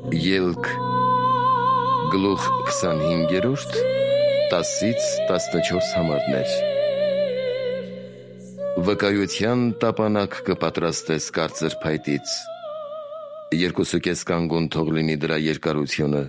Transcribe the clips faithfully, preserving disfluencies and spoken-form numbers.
Ելք գլուխ քսանհինգերորդ տասից տասնչորս համարներ։ Վկայության տապանակ կպատրաստես կարծր փայտից։ Երկուսուկես կանգուն թող լինի դրա երկարությունը,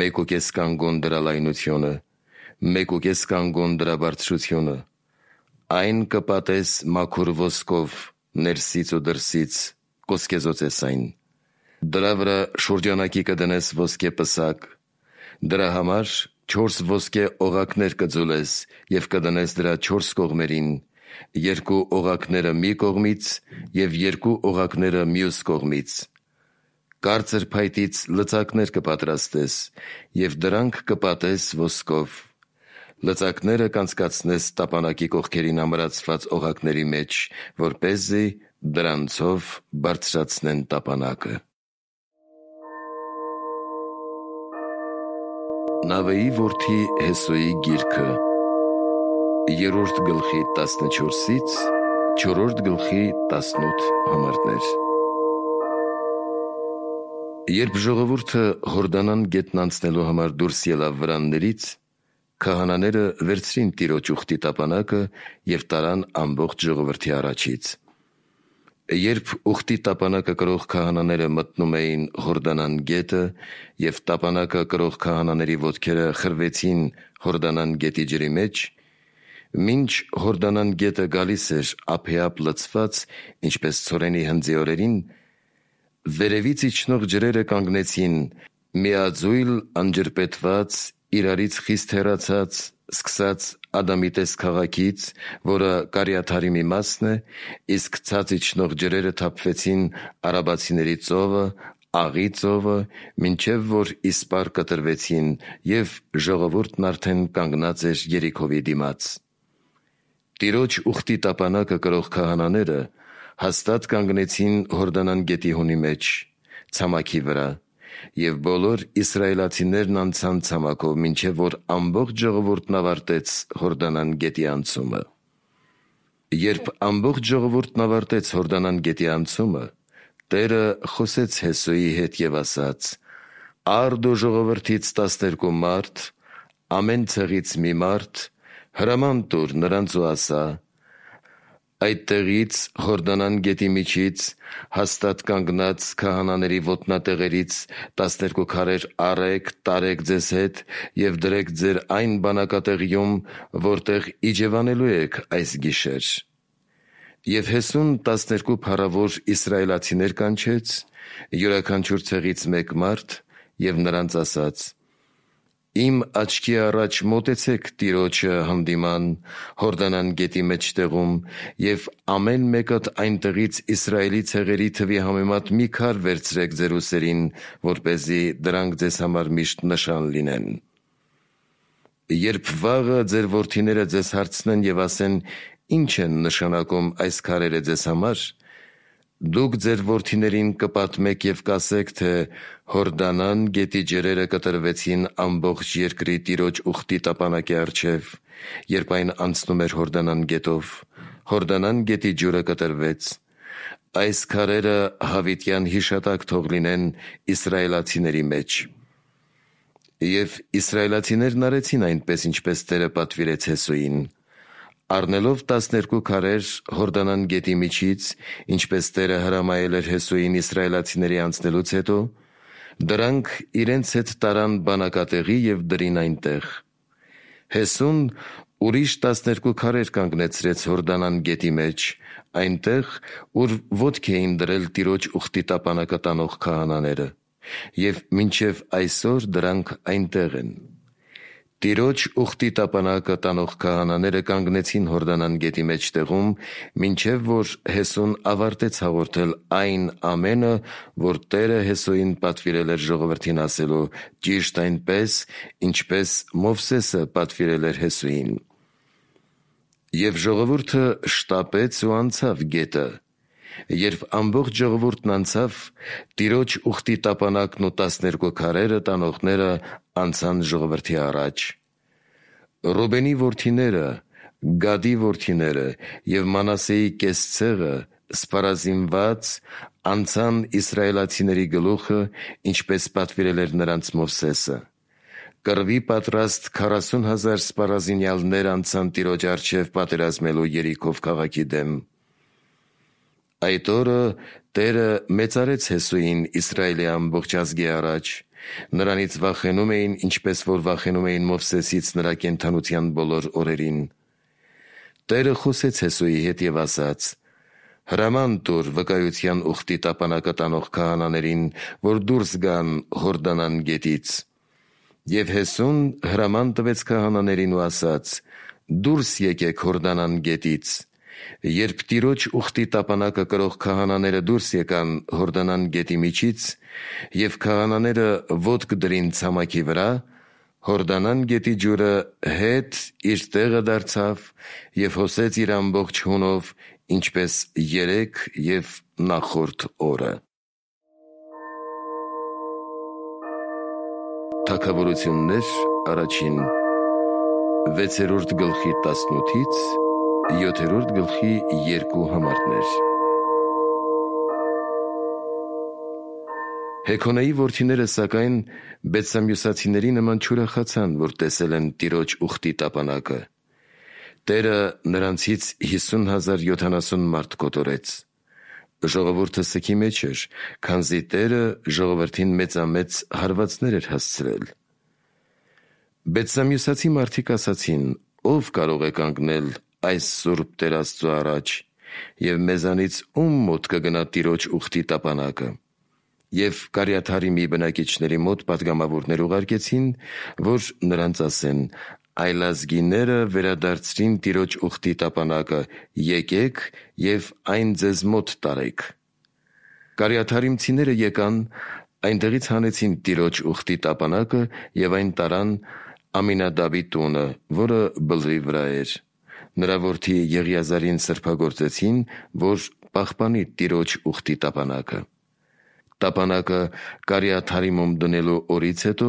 մեկուկես կանգուն դրա լայնությունը, մեկուկես կանգուն դրա բարձրությունը։ Այն կպատես մաքուր ոսկով ներսից ու դրսից, կոսկեզոծես այն։ Դրա վրա շուրջանակի կդնես ոսկե պսակ, դրա համար չորս ոսկե օղակներ կձուլես և կդնես դրա չորս կողմերին, երկու օղակները մի կողմից և երկու օղակները մյուս կողմից։ Կարծր փայտից լծակներ կպատրաստես և դրանք կպատես ոսկով։ Լծակները կանցկացնես տապանակի կողքերին ամրացված օղակների մեջ, որպեսզի դրանցով բարձրացնեն տապանակը։ Նավեի որդի Հեսոյի գիրքը, երրորդ գլխի տասնչորսից չորրորդ գլխի տասնութ համարներ։ Երբ ժողովուրդը Հորդանան գետն անցնելու համար դուրս ելավ վրաններից, քահանաները վերցրին Տիրոջ ուխտի տապանակը և տարան ամբողջ ժողովրդի առաջից։ Երբ ուխտի տապանակը կրող քահանաները մտնում էին Հորդանան գետը և տապանակը կրող քահանաների ոտքերը խրվեցին Հորդանան գետի ջրի մեջ, մինչ Հորդանան գետը գալիս էր ափեափ լցված, ինչպես ցորենի հնձի օրերին, վերևից իջնող ջրերը կանգնեցին միաձույլ անջրպետված, իրարից խիստ հեռացած, սկսած Ադամիտես քաղաքից, որը Կարիաթարի մի մասն է, իսկ ցած իջնող ջրերը թափվեցին արաբացիների ծովը, Աղի ծովը, մինչև որ իսպառ կտրվեցին, և ժողովուրդն արդեն կանգնած էր Երիքովի դիմաց։ Տիրոջ ուխտի տապանակը կրող քահանաները հաստատ կանգնեցին Հորդանան գետի հունի մեջ, ցամաքի վրա, և բոլոր իսրայելացիներն անցան ցամաքով, մինչև որ ամբողջ ժողովուրդն ավարտեց Հորդանան գետի անցումը։ Երբ ամբողջ ժողովուրդն ավարտեց Հորդանան գետի անցումը, Տերը խոսեց Հեսոյի հետ և ասաց. «Առ դու ժողովրդից տասներկու մարդ, ամեն ցեղից մի մարդ, հրաման տուր նրանց ու ասա. այդտեղից Հորդանան գետի միջից, հաստատ կանգնած քահանաների ոտնատեղերից տասներկու քարեր առեք, տարեք ձեզ հետ և դրեք ձեր այն բանակատեղիում, որտեղ իջևանելու եք այս գիշեր»։ Եվ Հեսուն տասներկու փառավոր իսրայելացիներ կանչեց, յուրաքանչյուր ցեղից մեկ մարդ, և նրանց ասաց. «Իմ աչքի առաջ մոտեցեք Տիրոջը հանդիման Հորդանան գետի մեջտեղում և ամեն մեկդ այնտեղից Իսրայելի ցեղերի թվի համեմատ մի քար վերցրեք ձեր ուսերին, որպեսզի դրանք ձեզ համար միշտ նշան լինեն։ Երբ վաղը ձեր որդիները ձեզ հարցնեն և ասեն. «Ի՞նչ են նշանակում այս քարերը ձեզ համար», դուք ձեր որդիներին կպատմեք և կասեք, թե Հորդանան գետի ջրերը կտրվեցին ամբողջ երկրի Տիրոջ ուխտի տապանակի առջև, երբ այն անցնում էր Հորդանան գետով, Հորդանան գետի ջուրը կտրվեց։ Այս քարերը հավիտյան հիշատակ թող լինեն իսրայելացիների մեջ»։ Եվ իսրայելացիներն արեցին այնպես, ինչպես Տերը պատվիրեց Հեսոյին։ Առնելով տասներկու քարեր Հորդանան գետի միջից, ինչպես Տերը հրամայել էր Հեսոյին իսրայելացիների անցնելուց հետո, դրանք իրենց հետ տարան բանակատեղի և դրին այնտեղ։ Հեսուն ուրիշ տասներկու քարեր կանգնեցրեց Հորդանան գետի մեջ, այնտեղ, ուր ոտք էին դրել Տիրոջ ուխտի տապանակը տանող քահանաները, և մինչև այսօր դրանք այնտեղ են։ Տիրոջ ուխտի տապանակը տանող քահանաները կանգնեցին Հորդանան գետի մեջտեղում, մինչև որ Հեսուն ավարտեց հաղորդել այն ամենը, որ Տերը Հեսոյին պատվիրել էր ժողովրդին ասելու, ճիշտ այնպես, ինչպես Մովսեսը պատվիրել էր Հեսուին։ Եվ ժողովուրդը շտապեց ու անցավ գետը։ Երբ ամբողջ ժողովուրդն անցավ, Տիրոջ ուխտի տապանակն ու տասներկու քարերը տանողները անցան ժողովրդի առաջ։ Ռուբենի որդիները, Գադի որդիները և Մանասեի կես ցեղը սպառազինված անցան իսրայելացիների գլուխը, ինչպես պատվիրել էր նրանց Մովսեսը։ Կռվի պատրաստ քառասուն հազար սպառազինյալներ անցան Տիրոջ առջև պատերազմելու Երիքով քաղաքի դեմ։ Այդ օրը Տերը մեծարեց Հեսուին Իսրայելի ամբողջ ազգի առաջ։ Նրանից վախենում էին, ինչպես որ վախենում էին Մովսեսից նրա կենդանության բոլոր օրերին։ Տերը խոսեց Հեսուի հետ և ասաց. «Հրաման տուր վկայության ուխտի տապանակը տանող քահանաներին, որ դուրս գան Հորդանան գետից»։ Եվ Հեսուն հրաման տվեց քահանաներին ու ասաց. «Դուրս եկեք Հորդանան գետից»։ Երբ Տիրոջ ուխտի տապանակը կրող քահանաները դուրս եկան Հորդանան գետի միջից, և քահանաները ոտք դրին ցամաքի վրա, Հորդանան գետի ջուրը հետ իր տեղը դարձավ և հոսեց իր ամբողջ հունով, ինչպես երեկ և նախորդ օրը։ Թագավորություններ առաջին վեցերորդ գլխի տասնութից յոթերորդ գլխի երկու համարներ։ Հեքոնայի որդիները սակայն բեթսամյուսացիների նման չուրախացան, որ տեսել են Տիրոջ ուխտի տապանակը։ Տերը նրանցից հիսուն հազար յոթանասուն մարդ կոտորեց։ Ժողովուրդը սգի մեջ էր, քանզի Տերը ժողովրդին մեծամեծ հարվածներ էր հասցրել։ Բեթսամյուսացի մարդիկ ասացին. «Ո՞վ կարող է կանգնել այս սուրբ Տեր Աստծու առաջ, և մեզանից ո՞ւմ մոտ կգնա Տիրոջ ուխտի տապանակը»։ Եվ Կարիաթարիմի բնակիչների մոտ պատգամավորներ ուղարկեցին, որ նրանց ասեն. «Այլազգիները վերադարձրին Տիրոջ ուխտի տապանակը, եկեք և այն ձեզ մոտ տարեք»։ Կարիաթարիմցիները եկան, այնտեղից հանեցին Տիրոջ ուխտի տապանակը և այն տարան Ամինադաբի տունը, որը բլրի վրա էր։ Նրա որդի Եղիազարին սրբագործեցին, որ պահպանի Տիրոջ ուխտի տապանակը։ Տապանակը Կարիաթարիմում դնելու օրից հետո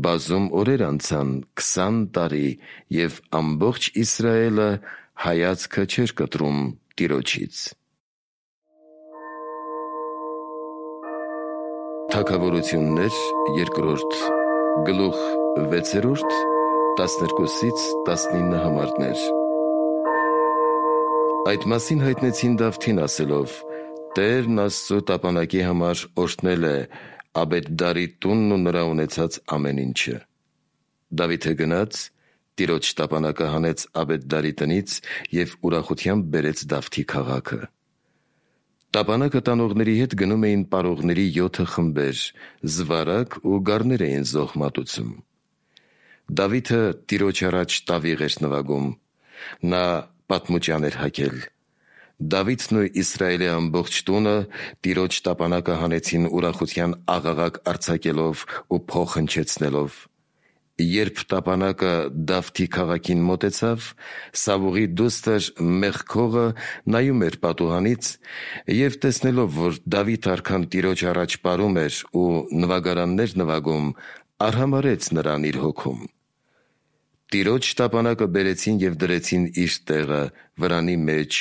բազում օրեր անցան, քսան տարի, և ամբողջ Իսրայելը հայացքը չէր կտրում Տիրոջից։ Թագավորություններ երկրորդ գլուխ վեցերորդ տասներկուսից տասնինը համարներ։ Այդ մասին հայտնեցին Դավթին ասելով. «Տերն Աստծու տապանակի համար օրհնել է Աբեթդարի տունն ու նրա ունեցած ամեն ինչը»։ Դավիթը գնաց, Տիրոջ տապանակը հանեց Աբեթդարի տնից և ուրախությամբ բերեց Դավթի քաղաքը։ Տապանակը տանողների հետ գնում էին պարողների յոթը խմբեր, զվարակ ու գառներ էին զոհ մատուցում։ Դավիթը Տիրոջ առաջ տավիղ էր նվագում։ Նա պատմուճան էր հագել։ Դավիթն ու Իսրայելի ամբողջ տունը Տիրոջ տապանակը հանեցին ուրախության աղաղակ արձակելով ու փող հնչեցնելով։ Երբ տապանակը Դավթի քաղաքին մոտեցավ, Սավուղի դուստր Մեխքողը նայում էր պատուհանից և տեսնելով, որ Դավիթ արքան Տիրոջ առաջ պարում էր ու նվագարաններ նվագում, արհամարհեց նրան իր հոգում։ Տիրոջ տապանակը բերեցին և դրեցին իր տեղը, վրանի մեջ,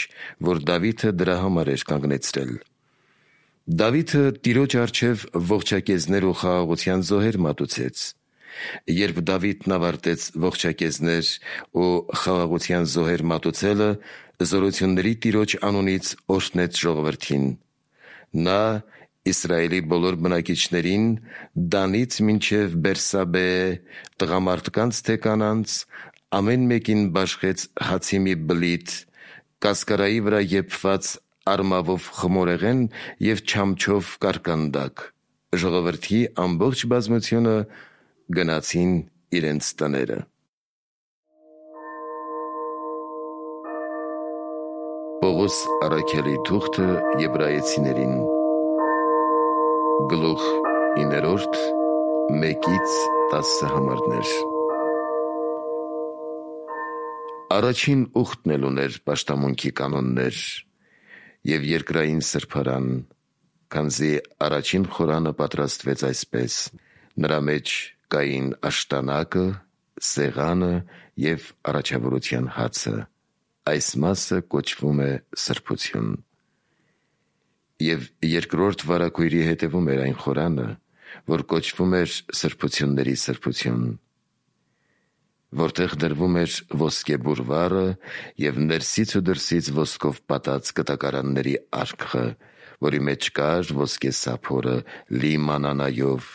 որ Դավիթը դրա համար էր կանգնեցրել։ Դավիթը Տիրոջ առջև ողջակեզներ ու խաղաղության զոհեր մատուցեց։ Երբ Դավիթն ավարտեց ողջակեզներ ու խաղաղության զոհեր մատուցելը, զորությունների Տիրոջ անունից օրհնեց ժողովրդին։ Նա Իսրայելի բոլոր բնակիչներին, Դանից մինչև Բերսաբեե, տղամարդկանց թե կանանց, ամեն մեկին բաշխեց հացի մի բլիթ, կասկարայի վրա եփված արմավով խմորեղեն և չամչով կարկանդակ։ Ժողովրդի ամբողջ բազմությունը գնացին իրենց տները։ Պողոս առաքյալի թուղթը Եբրայեցիներին գլուխ իններորդ մեկից տասը համարներ։ Առաջին ուխտն էլ ուներ պաշտամունքի կանոններ և երկրային սրբարան, քանզի առաջին խորանը պատրաստվեց այսպես. նրա մեջ կային աշտանակը, սեղանը և առաջավորության հացը։ Այս մասը կոչվում է սրբություն։ Եվ երկրորդ վարագույրի հետևում էր այն խորանը, որ կոչվում էր սրբությունների սրբություն, որտեղ դրվում էր ոսկե բուրվառը և ներսից ու դրսից ոսկով պատած կտակարանների արկղը, որի մեջ կար ոսկե սափորը լի մանանայով,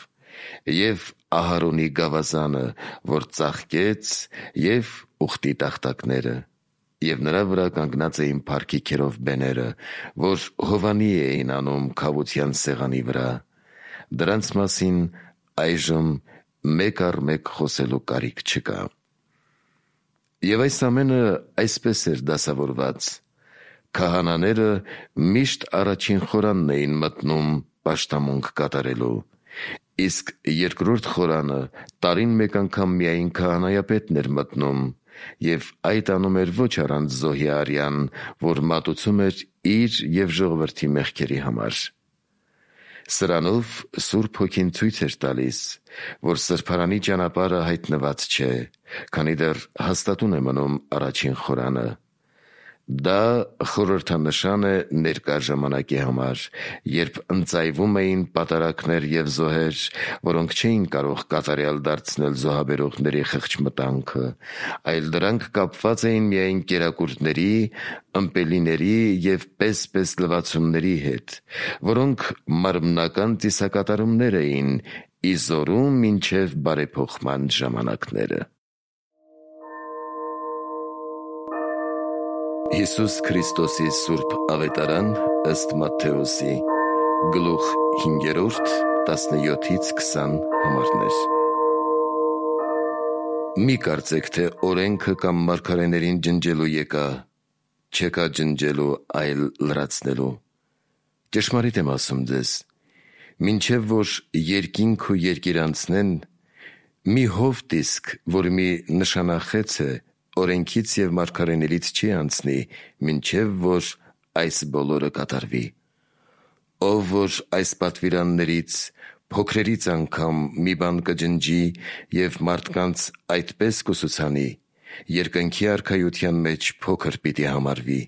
և Ահարոնի գավազանը, որ ծաղկեց, և ուխտի տախտակները, և նրա վրա կանգնած էին փառքի քերովբեները, որ հովանի էին անում քավության սեղանի վրա։ Դրանց մասին այժմ մեկ առ մեկ խոսելու կարիք չկա։ Եվ այս ամենը այսպես էր դասավորված. քահանաները միշտ առաջին խորանն էին մտնում պաշտամունք կատարելու, իսկ երկրորդ խորանը տարին մեկ անգամ միայն քահանայապետն էր մտնում, և այդ անում էր ոչ առանց զոհի արյան, որ մատուցում էր իր և ժողովրդի մեղքերի համար։ Սրանով Սուրբ Հոգին ցույց էր տալիս, որ սրբարանի ճանապարհը հայտնված չէ, քանի դեռ հաստատուն է մնում առաջին խորանը։ Դա խորհրդանշան է ներկա ժամանակի համար, երբ ընծայվում էին պատարագներ և զոհեր, որոնք չէին կարող կատարյալ դարձնել զոհաբերողների խղճմտանքը, այլ դրանք կապված էին միայն կերակուրների, ըմպելիների և պես-պես լվացումների հետ, որոնք մարմնական ծիսակատարումներ էին ի զորու մինչև բարեփոխման ժամանակները։ Հիսուս Քրիստոսի Սուրբ Ավետարան ըստ Մատթեոսի, գլուխ հինգերորդ, տասնյոթից քսան համարներ։ Մի կարծեք, թե օրենքը կամ մարգարեներին ջնջելու եկա, չեկա ջնջելու, այլ լրացնելու։ Ճշմարիտ եմ ասում ձեզ, մինչև որ երկինք ու երկիր անցնեն, մի հովտ իսկ, որ մի նշանախեց է, օրենքից և մարգարեներից չի անցնի, մինչև որ այս բոլորը կատարվի։ Ով որ այս պատվիրաններից, փոքրերից անգամ մի բան կջնջի և մարդկանց այդպես կուսուցանի, երկնքի արքայության մեջ փոքր պիտի համարվի,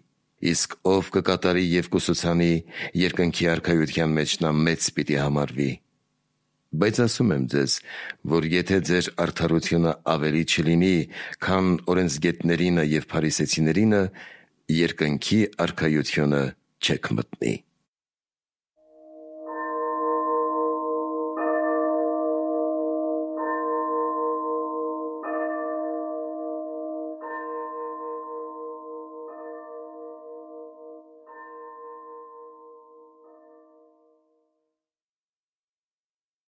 իսկ ով կկատարի և կուսուցանի, երկնքի արքայության մեջ նա մեծ պիտի համարվի։ Բայց ասում եմ ձեզ, որ եթե ձեր արդարությունը ավելի չլինի, քան օրենսգետներինը և փարիսեցիներինը, երկնքի արքայությունը չեք մտնի։